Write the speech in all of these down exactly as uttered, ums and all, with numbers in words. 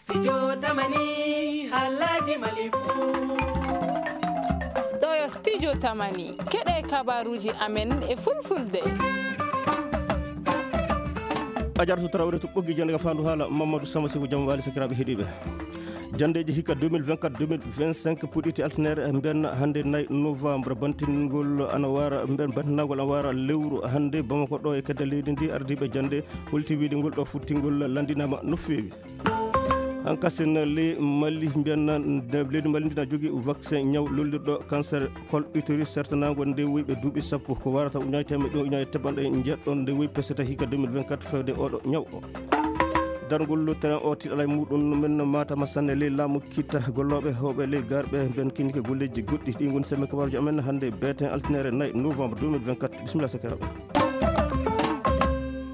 Studio Tamani, halaji malifu. Ɗo yo Studio Tamani, keɗe kabaruji amen e fulfulde. A jartu Traoré to ɓoggi jannde ka fandu haala Mamadou Sama Sibu, jam wali sakiraaɓe heɗiiɓe. Janndeeji hikka deux mille vingt-quatre deux mille vingt-cinq puɗɗiti altinere mbiyanna hannde nayi novembre. Bantingol ana wara, mbiyan bantinagol ana wara lewru hannde Bamako ɗo e kedde leydi ndi. Ardiiɓe jannde holti wiide ngol ɗo futtingol lanndinaama no feewi. Hankasin le Mali mbiyanna leydi Mali ndi na jogii vaccin ñaw lollirɗo cancer col utérus sertanaango nde woyɓe duuɓi sappo ko warata uñaji temeɗɗe ɗiɗi uñaji teɓanɗe jeɗɗo nde woyi peseta hikka deux mille vingt-quatre fewde oɗo ñaw o. Dargol train o tiɗala e muɗum men matama sanne ley laamu kitta gollooɓe hewɓe ley garɓe ben kinike golleji goɗɗi ɗi ngoni semme kabaruji amen hannde beeten altinere nayi novembre deux mille vingt-quatre. Bisimilla sakiraaɓe.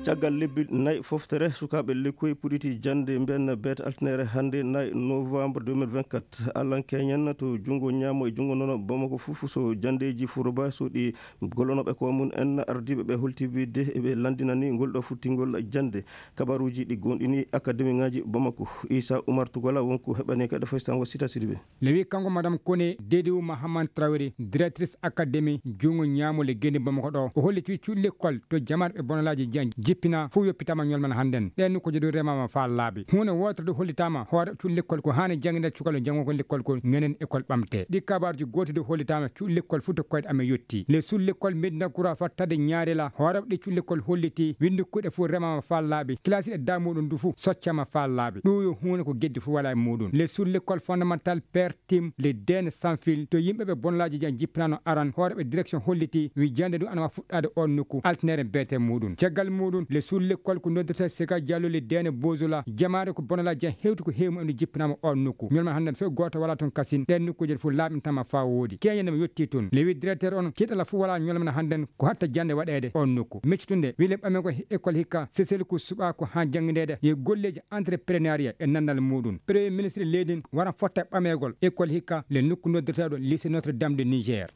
Caggal lebbi nayi foftere sukaaɓe lekkoy puɗiti jannde mbiyanna beete altinere hannde nayi novembre deux mille vingt-quatre. Alan keñen to junngo ñaamo e junngo nono Bamako fof so janndeeji furoba so ɗi gollonooɓe ko mum en ardiiɓe ɓe holti wiide ɓe lanndinani ngol ɗo futtingol jannde. Kabaruuji ɗi goonɗini akademi ŋaaji Bamako. Issa Oumar Tougola wonko heɓani kadi faysango Sita Sidibé. Le wi kanko Madame Kone Dedou Mahaman Traoré, directrice académie juungo ñaamo le geni Bamako ɗo. O holliti cuuɗi lekkol to jamaat ɓe bonalaaji jan jippina fof yoppitama ñolman hannden. Ɗen nokkuuje ɗo remama faa laabi. Huunde wootere ɗo hollitama hoore cuuɗi lekkol ko haani jannginde cukalo janngo ko lekkol ko ñanen école ɓamte. Ɗi kabaarji gooti ɗo hollitama cuuɗi lekkol fof to koyɗe amen yotti. Le suuɗi lekkol Medina Gura fattade ñaarela hoore ɗi cuuɗi lekkol holliti winndi kuuɗe fof remama faa laabi. Kilasi e damuɗum ndu fof soccama faa laabi. Ɗum yo huunde ko geddi fof wala e muɗum. Le suuɗi lekkol fondamental père Tim le Dene Sanfil to yimɓe ɓe bonolaaji jan jippinano aran hooreɓe direction holliti wi jande ɗum ana wa fuɗɗade on nokku altinere beete muɗum. Caggal muɗum le suuɗi lekkol ko noddirta Sega Diallo le Dene Bozola jamaare ko bonolaaji jan hewti ko heewi mumen ɗo jippinama on nokku. Ñolman hannden fof gooto wala toon kasin ɗen nokkuuje ɗe fof laaɓintama faa wooɗi. Keñe nde mi yetti toon le wi directeur on tiiɗala fof wala ñolman hannden ko hatta jande waɗeede on nokku. Meccutunde wi le ɓame ko école hikka sesel ko suɓa ko haa janngindeede ye golleeji entreprenariat e nandal muɗum. Premier ministre leydi ndi wara fotta ɓameegol école hikka le nokku noddirteeɗo lycée Notre Dame de Niger.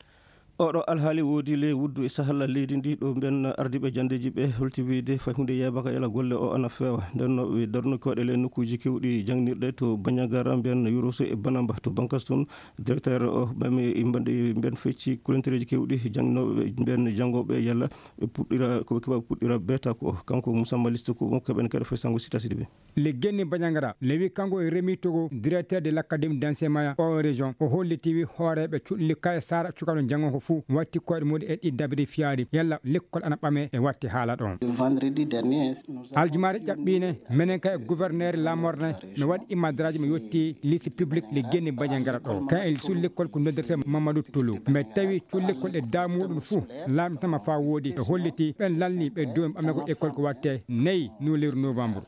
Oɗo alhaali woodi le wuddu e sahalla leydi ndi ɗo mbiyan ardiiɓe janndeeji ɓe holti wiide fay huunde yeebaka yala golle o ana feewa. Nden no ɓe darno koɗe le nokkuuji kewɗi jangnirɗe to Bandiagara mbiyan Yoroso e Banamba to Bankas toon. Directeur o ɓami mbiyan fecci kulentereeji kewɗi jangnooɓe mbiyan janngooɓe yalla ɓe puɗɗira ko ɓe keɓa puɗɗira beeta ko kanko Moussa Maliste ko mo keɓen kadi fay sango Sita Sidibé. Le Guéni Bandiagara le wi kanko e Rémi Togo directeur de l'académie d'enseignement o région o holliti wi hooreɓe cuɗli kay sara cukano janngo ko fuu watti koyɗe muɗum e ɗi dabiri fiyaari yalla lekkol ana ɓame e watti haala ɗon. Vendredi dernier, nous avons aljumaare signé ƴaɓɓiine menen kay e gouverneur lamorne no waɗi imadraji mo yetti lycée public le Guéni Bandiagara ɗo kan e suuɗi lekkol ko noddirte Mamadou Toulou mais tawi cuuɗi lekkol ɗe damuɗum fuu laamtama faa wooɗi ɓe holliti ɓen lalni ɓe domi ɓame ko école ko watte nayi no lewru novembre.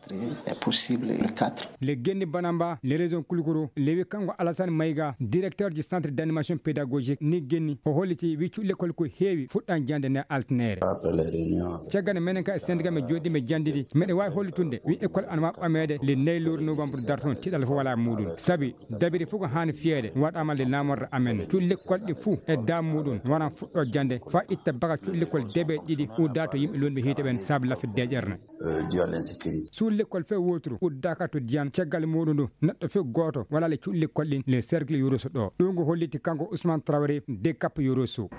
Est possible le quatre. Le Guéni Banamba le région Kouloukourou le wi kanko Alassane Maïga directeur du centre d'animation pédagogique ni Guéni o holliti wi cuuɗi lekkol ko heewi fuɗɗan jande ne altinere. Caggal menen ka e syndicat men jooɗi men jandidi meɗe wawi hollitunde wi école ana wa ɓameede le nayi lewru novembre darton tiɗal fof wala muɗum sabi dabiri fof ko haani fiyeede waɗama le namorde amen cuuɗi lekkol ɗi fuu e dam muɗum waran fuɗɗo jande fa itta baka cuuɗi lekkol deeɓe ɗiɗi udda to yimɓe lonɓe hiite ɓen saabu lafde deeƴerne. Suuɗi lekkol few woturu uddaka to diyan caggal muɗum ndu neɗɗo few gooto wala le cuuɗi lekkol ɗin le cercle yuruso ɗo ɗum ko holliti kanko Ousmane Traoré de Cap Yuruso.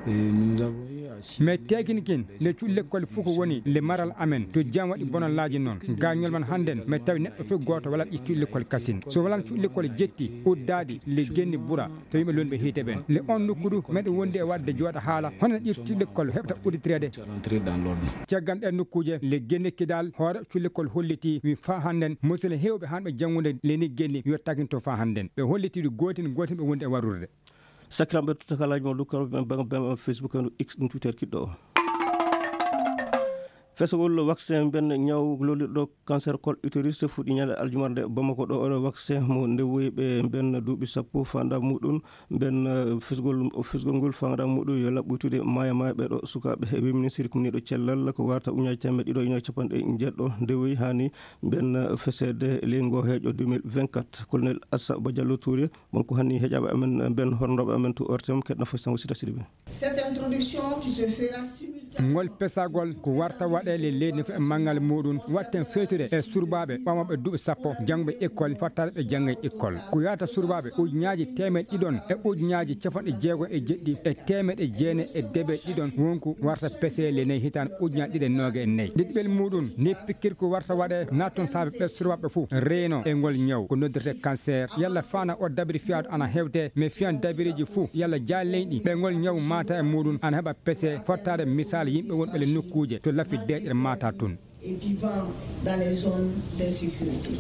Mais teegini kin nde cuuɗi lekkol fof ko woni le maral amen to jam waɗi bonallaaji noon gañol man hannden mais tawi neɗɗo fof gooto wala ƴetti lekkol kasin so walan cuuɗi lekkol jetti uddaaɗi le genni bura to yimɓe lonɓe hiite ɓen le on nokku du meɗe wondi e waɗde jooɗa haala hono ƴetti lekkol heɓta udditirede. Caggal ɗen nokkuuje le genni kidal hoore cuuɗi lekkol holliti wi fa hannden musele hewɓe hanɓe janngude le ni genni yo taginto fa hannden ɓe holliti ɗi gootin gootin ɓe wondi e warrude. Sakiraaɓe tutakalaji mo lukkaro ɓen banga bema Facebook e X ɗum Twitter kiɗɗo o. Fesogol vaccin mbiyan ñaw lolirɗo cancer col utérus fuɗɗi ñande aljumarde Bamako ɗo oɗo vaccin mo ndewoyi ɓe mbiyan duuɓi sappo fanda muɗum mbiyan fesgol fesgol ngol fanda muɗum yo laɓɓoytude maya maya ɓeɗo sukaɓe wi ministre kumniɗo cellal ko warta uñaji temedde ɗiɗo uñaji capanɗe jeɗɗo ndewoyi hani mbiyan fesede ley ngo heeƴo deux mille vingt-quatre. Colonel Assa Badiallo Touré wonko hanni heeƴaɓe amen mbiyan hornoɓe amen to ortem keɗna fo sango Sita Sidibé. Cette introduction qui se fera simultanément. Ngol pesagol ko warta waɗeele leydi fof e manngal muɗum, watten feetude e surbaaɓe ɓamooɓe duuɓi sappo jannguɓe école, fottaade ɓe jannga école. Ko yahata surbaaɓe ujunaaji teemeɗe ɗiɗon e ujunaaji capanɗe jeego e jeɗɗi e teemeɗe jeenayi e debe ɗiɗon wonku warta peseele nayi hitaande ujunaaji ɗiɗi e nooga e nayi. Ɗiɗɓel muɗum, ni pikkir ko warta waɗe natton saabe ɓe surbaaɓe fof reeno e ngol ñaw ko noddirte cancer. Yalla faana o dabiri fiyaadu ana hewte, mais fiyan dabiriji fof yalla jaaleyɗi ɓe ngol ñaw mata e muɗum ana heɓa pese fottaade misal yimɓe wonɓe le nokkuuje to lafi deeƴre mata tun. Et vivant dans les zones d'insécurité.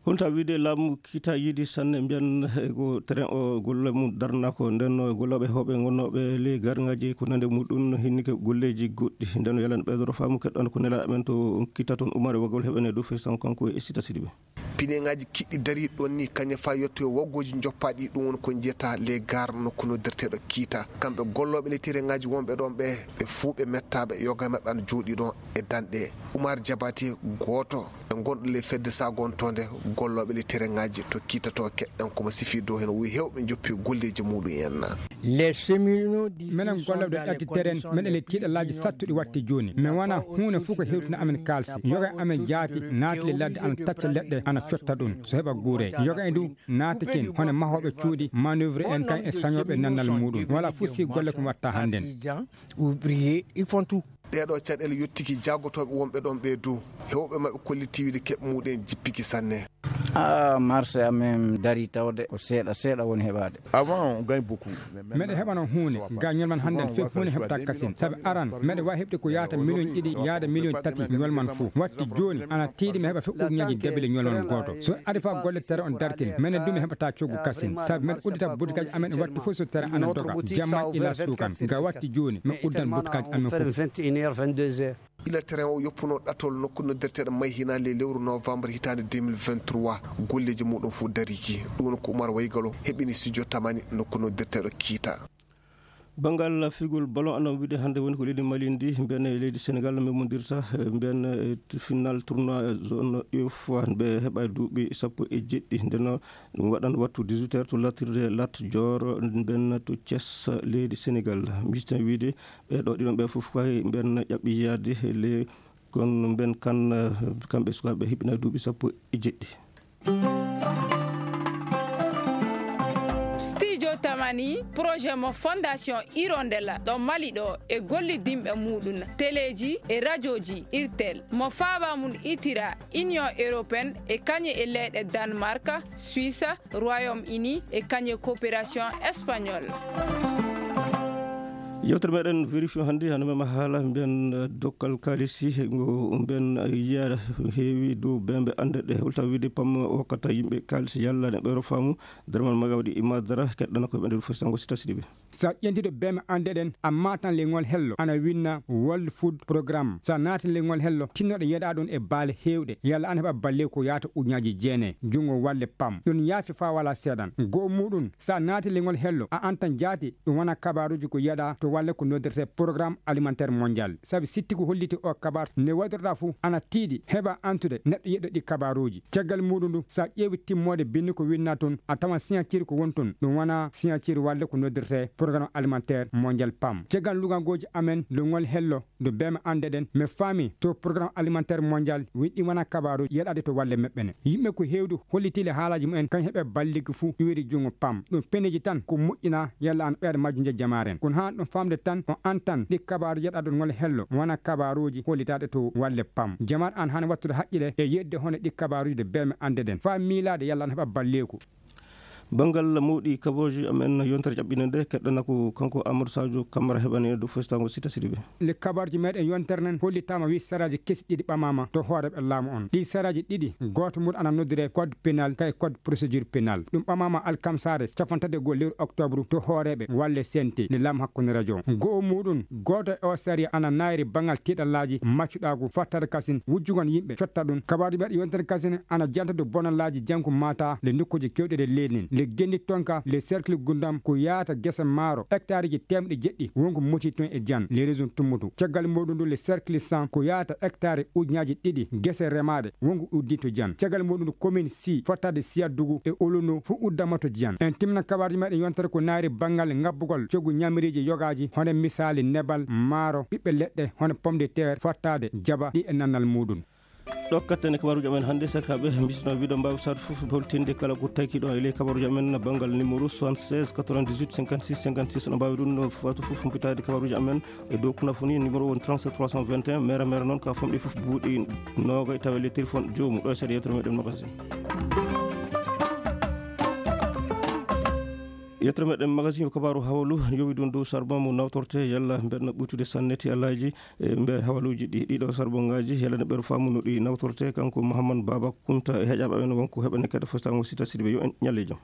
Honta wiide laamu kita yiidi sanne mbiyan e ko train o golle mum darnako ndenno e gollooɓe hooɓe gonnooɓe ley gargaji ko nande muɗum hinnike golleji goɗɗi ndenno yalan ɓeydoro faamu keɗɗon ko nela amen to kita toon umare wagol heɓene dow fesan kanko e sita sidiɓe. Pineŋaaji kiɗɗi dariiɗi ɗoon nii, kañe faa yettoyo waggooji joppaaɗi, ɗum woni ko njiyata les gares nokku noddirteeɗo kiita. Kamɓe gollooɓe le tereŋaaji wonɓe ɗoon ɓe, ɓe fuu ɓe mettaaɓe, yoga e maɓɓe ana jooɗii ɗoon e danɗe. Umar Jabate, gooto e gonɗo le fedde sagontoonde gollooɓe le tereŋaaji to kiita to keɗɗen ko mo sifi dow heen, o wiyi heewɓe njoppi golleeji muɗum en. Menen gollooɓe ɗo ƴatti terrain, meɗen le tiiɗalaaji sattuɗi watti jooni. Mi wona huunde fof ko hewtina amen kaalsi. Yoga amen jaati naati le ladde ana tacca leɗɗe ana cotta ɗum so heɓa guure. Yoga e ndu naati ken hono mahooɓe cuuɗi, manœuvre en kan e sañooɓe nannal muɗum. Wala fof si golle ko watta hannden. Ouvrier, ils font tout. Ɗeeɗoo caɗeele yottiki jaagotooɓe wonɓe ɗoon ɓee dow. Heewɓe maɓɓe kolliti wiide keɓ muɗen jippiki sanne. Ah, marché amen darii tawde ko seeɗa seeɗa woni heɓaade. Avant, on gagne beaucoup. Meɗe heɓano huunde ga ñolman hannden fof huunde heɓta kasin. Sabi aran meɗe waawi heɓde ko yahata miliyoñ ɗiɗi yahda miliyoñ tati ñolman fof. Watti jooni ana tiiɗi mi heɓa fof ujuñaji debele ñolman gooto. So ari fa golle tere on dartin, menen du mi heɓata coggu kasin. Sabi men uddita butikaaji amen watti fof so tere ana doga. Jamma ila suukan. Ga watti jooni mi uddan butikaaji amen fof. Ila terrain o yoppuno ɗatol nokku noddirteeɗo Mayhina le lewru novembre hitaande deux mille vingt-trois, golleeji muɗum fof dariki. Ɗum woni ko Umar Waygalo heɓini studio Tamani nokku noddirteeɗo Kiita. Banngal figol ballon ana wiide hannde woni ko leydi Mali ndi, mbiyen e leydi Senegal memmondirta, eh, mbiyen, eh, final tournoi zone UEFA, ɓe heɓa duuɓi sappo e jeɗɗi. Nden ɗum waɗan wattu dix-huit heures to lattirde Lat Dior, mbiyen to Thiès, leydi Senegal. Miijten wiide ɓee ɗoo ɗiɗon ɓe fof kay mbiyen ƴaɓɓi yaade le, kono mbiyen kan, eh, kamɓe sukaaɓe hiɓɓina duuɓi sappo e jeɗɗi. Studio Tamani, projet mo Fondation Hirondella ɗo Mali ɗo e gollidinɓe muɗum, teleeji e rajooji Irtel, mo faaba mum itira Union Européenne e kañe e leyɗe Danemark, Suisse, Royaume-Uni e kañe coopération espagnole. Yewtere meɗen vérifié hannde hano mema haala mbiyen, eh, dokkal kaalisi ngo mbiyen, eh, yiya heewi dow bembe annde ɗe holta wiide pam o kata yimɓe kaalisi yalla ne ɓeero faamu. Derman maga waɗi imadara keɗɗana ko ɓe nder fof sango sita siɗi ɓe. Sa ƴentito bembe annde ɗen a matan lengol hello ana winna World Food Programme. Sa naati lengol hello tinnoɗo yeɗa ɗon e baale heewɗe yalla an heɓa balle ko yaata ujunaji jeenayi jungo walle pam ɗum yaafi fa wala seeɗan. Goo muɗum sa naati lengol hello a antan jaati ɗum wona kabaruji ko yeɗa to walle ko noddirte Programme Alimentaire Mondial. Sabi sitti ko holliti o kabar nde waɗirɗa fof ana tiiɗi heɓa antude neɗɗo yeɗɗo ɗi kabaruji. Caggal muɗum ndu sa ƴeewi timmoode binndi ko winna toon a tawan signature ko woni toon ɗum wona signature walle ko noddirte Programme Alimentaire Mondial pam. Caggal lugangoji amen lengol hello ndu bema annde ɗen mi faami to Programme Alimentaire Mondial winɗi wona kabaru yeɗade to walle meɓɓene. Yimɓe ko heewdu hollitiile haalaji mumen kañ heɓe balligi fuu iwiri junngo pam ɗum peneji tan ko moƴƴina yalla an ɓeeɗa majjunje jamaren kono haa ɗum famde tan o antan ɗi kabaru yeɗaɗo ngol hello wona kabaruji hollitaɗe to walle pam. Jamar an hana wattude haqqile e yedde hono ɗi kabaruji de beme annde ɗen faa miilaade yalla an heɓa balleeku. Banngal mawɗi kabooji amen yontere ƴaɓɓinde nde keɗɗana ko kanko Amadou Sadio Camara heɓani e dow festango sita sidiɓe. Le kabarji meɗen yontere nden hollitama wi saraji kesi ɗiɗi ɓamama to hooreɓe laamu on ɗi saraji ɗiɗi gooto muɗum ana noddire code pénal kay code procédure pénal ɗum ɓamama alkamsare capantati e goo lewru octobre to hooreɓe walle sente nde laamu hakkunde radio goo muɗum gooto e o sariya ana nayri banngal tiɗallaji maccuɗagu fattata kasin wujjugon yimɓe cotta ɗum kabaruji meɗen yontere kasin ana janta dow bonallaaji janku mata le nokkuuji kewɗi ɗe leydi ndin. E Genni Tonka, le cercle Gundam ko yaata gese maaro hectare ji teemɗe jeɗɗi wonko moti toon e Diane, les régions Tummutu. Caggal muɗum ndu le cercle cent ko yaata hectare ujunaaji ɗiɗi gese remaaɗe wonko uddii to Diane. Caggal muɗum ndu commune six fottaade Siyadugu e Olono fof uddama to Diane. En timna kabaruuji meɗen yontere ko naari banngal ngabbugol coggu ñamiriiji yogaaji, hono misaali nebal, maaro, ɓiɓɓe leɗɗe, hono pomme de terre, fottaade jaɓa ɗi e nannal muɗum. Ɗo katten e kabaruuji amen hannde, sakiraaɓe, mbisno wiɗo mbaawi saɗde fof, holtinde kala ko taki ɗo e ley kabaruuji amen, banngal numéro soixante-seize quatre-vingt-dix-huit cinquante-six cinquante-six, no mbaawi ɗum, no fatu fof, mbitaade kabaruuji amen e dow kunafoni, numéro woni trente-sept trois cent vingt et un, mere mere noon, ka famɗi fof buuɗi noogay, tawa e ley téléphone joomu. Ɗo e seeɗa yewtere meɗen magasin. Yettere meɗen magasin ko kabaaru hawalu, yowi ɗum dow charbon mo nawtorte, yalla mbeɗa ɓuytude sanne ti alaaji, e mbe hawaluuji ɗi, ɗiɗo charbon ngaaji, yalla ne ɓeɗo faamu no ɗi nawtorte, kanko Mouhammad Baba Kunta e heƴaaɓe amen wonko heɓane kadi fostango sita sidiɓe, yo en ñalle jam.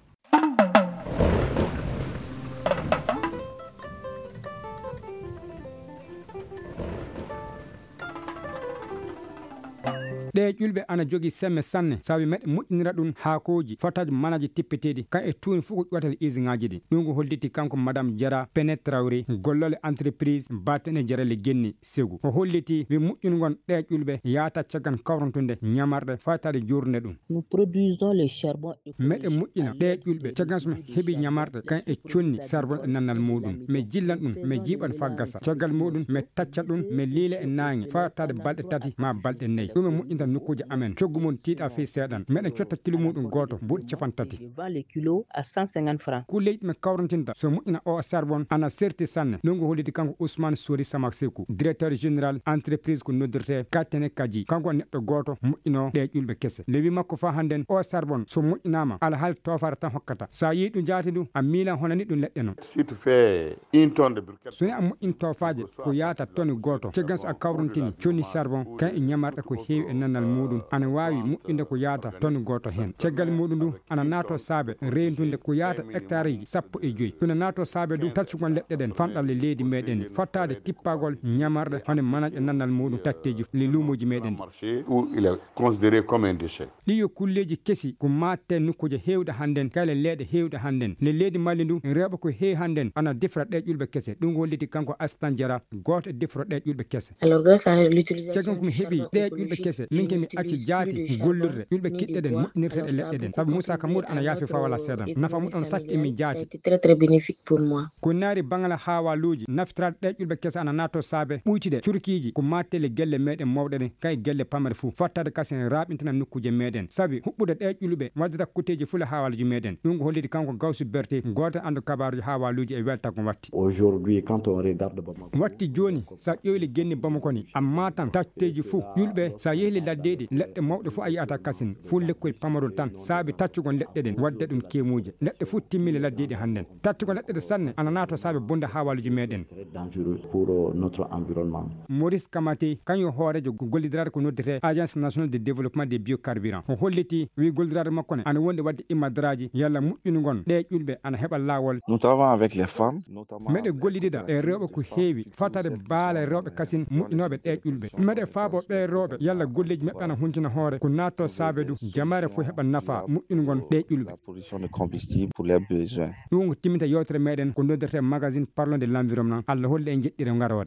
Ɗee ƴulɓe ana jogii semme sanne, sabi meɗe moƴƴinira ɗum haakooji, fotaaji, manaaji tippeteeɗi, kan e tuuni fof ko ƴuwata e usine ŋaaji ɗi. Ɗum ko holliti kanko Madame Jara Pene Traoré, gollooɗo entreprise Batene Jarale Genni Segu. O holliti wi moƴƴingol ɗee ƴulɓe yaata caggal kawrantunde ñamarɗe faytaade joornde ɗum. Nous produisons le charbon écologique. Meɗe moƴƴina ɗee ƴulɓe caggal so mi heɓi ñamarɗe kan e conni charbon e nannal muɗum. Mi jillan ɗum, mi jiiɓan faa gasa. Caggal muɗum, mi tacca ɗum, mi liila e naange faa taade balɗe tati maa balɗe nayi. Ɗum e moƴƴinta nokkuuje amen. Coggu mum tiiɗa fii seeɗan. Meɗen cotta kilo muɗum gooto, buuɗi capanɗe tati. Vend le kilo à cent cinquante francs. Ko leydi mi kawrantinta so moƴƴina o charbon ana serti sanne. Ɗum ko holliti kanko Ousmane Sori Samak Sekou, directeur général entreprise ko noddirte Katene Kaji. Kanko neɗɗo gooto moƴƴinoo ɗee ƴulɓe kese. Lewi makko faa hannden o charbon so moƴƴinaama, alhaali toofaare tan hokkata. So a yii ɗum jaati ndu, a miila honani ɗum leɗɗe non. Si tu fais une tonne de briquettes, so ni a moƴƴin toofaaje, ko yaata toni gooto. Caggal so a kawrantini conni charbon, kan e ñamarɗe ko heewi e nannal muɗum, ana waawi moƴƴinde ko yaata toni gooto heen. Caggal muɗum ndu, ana naato saabe reyndude ko yaata hectareji sappo e joy. Ɗum ne naato saabe du taccugol leɗɗe ɗen fanɗalle leydi meɗen, fottaade tippagol ñamarɗe hono manaaji e nannal muɗum tatteji le luumoji meɗen ɗi. Marché où il est considéré comme un déchet. Ɗi yo kulleeji kesi ko maatte nokkuuje heewɗe hannden, kala leeɗe heewɗe hannden. Le leydi Mali ndu, rewɓe ko heewi hannden ana defra ɗee ƴulɓe kese. Ɗum ko holliti kanko Astan Jara, gooto e defro ɗee ƴulɓe kese. Alors, grâce à l'utilisation caggal ko mi heɓi ɗee ƴulɓe kese, min ke mi acci jaati gollirde ƴulɓe kiɗɗe ɗen moƴƴinirteɗe leɗɗe ɗen. Sabu Moussa Kamour ana yaafi faa wala seedan. Nafa mum ana sakki e min jaati. C'était très, très bénéfique pour moi. Ko naari banngal haawaaluuji, naftiraaɗe ɗee ƴulɓe kese ana naato saabe ɓuytude curkiiji ko maattele gelle meɗen mawɗe ɗen, kay gelle pamare fuu. Fottaade kasen raaɓintina nokkuuje meɗen. Sabi huɓɓude ɗee ƴulɓe waddata kuteeji fuu le haawaaluuji meɗen. Ɗum ko holliti kanko Gawsu Berte, gooto e anndu kabaaruuji haawaaluuji e weltago watti. Aujourd'hui, quand on regarde Bamako, watti jooni, so a ƴeewi le Genni Bamako ni, amma tan tatteeji fuu ƴulɓe, so a yehi le laddeeɗi, leɗɗe mawɗe fuu a yi'ata kasin, fuu lekkoy pamarol tan, saabi taccugol leɗɗe ɗen, wadde ɗum keemuuje. Leɗɗe fuu timmi le laddeeɗi hannden. Taccugol leɗɗe ɗe sanne, ana naato saabe bonde haawaaluuji meɗen. Très dangereux pour, euh, notre environnement. Maurice Kamate, kañum hooreejo gollidiraade ko noddetee Agence Nationale de Développement des Biocarburants. O holliti, wi gollidiraade makko ne, ana wondi wadde immadaraaji yalla moƴƴinugol ɗee ƴulɓe ana heɓa laawol. Nous travaillons avec les femmes, notamment meɗe gollidida e rewɓe ko heewi, fataade baale rewɓe kasin moƴƴinooɓe ɗee ƴulɓe. Meɗe faabo ɓee rewɓe yalla golleeji maɓɓe ana huntina hoore, ko naatto saabe du jamaare fof heɓa nafa moƴƴinugol ɗee ƴulɓe. La production de combustible pour les besoins. Ɗum ko timminta yewtere meɗen ko noddirte magazine Parlons de l'environnement. Allah holla en jeɗɗire ngaroore.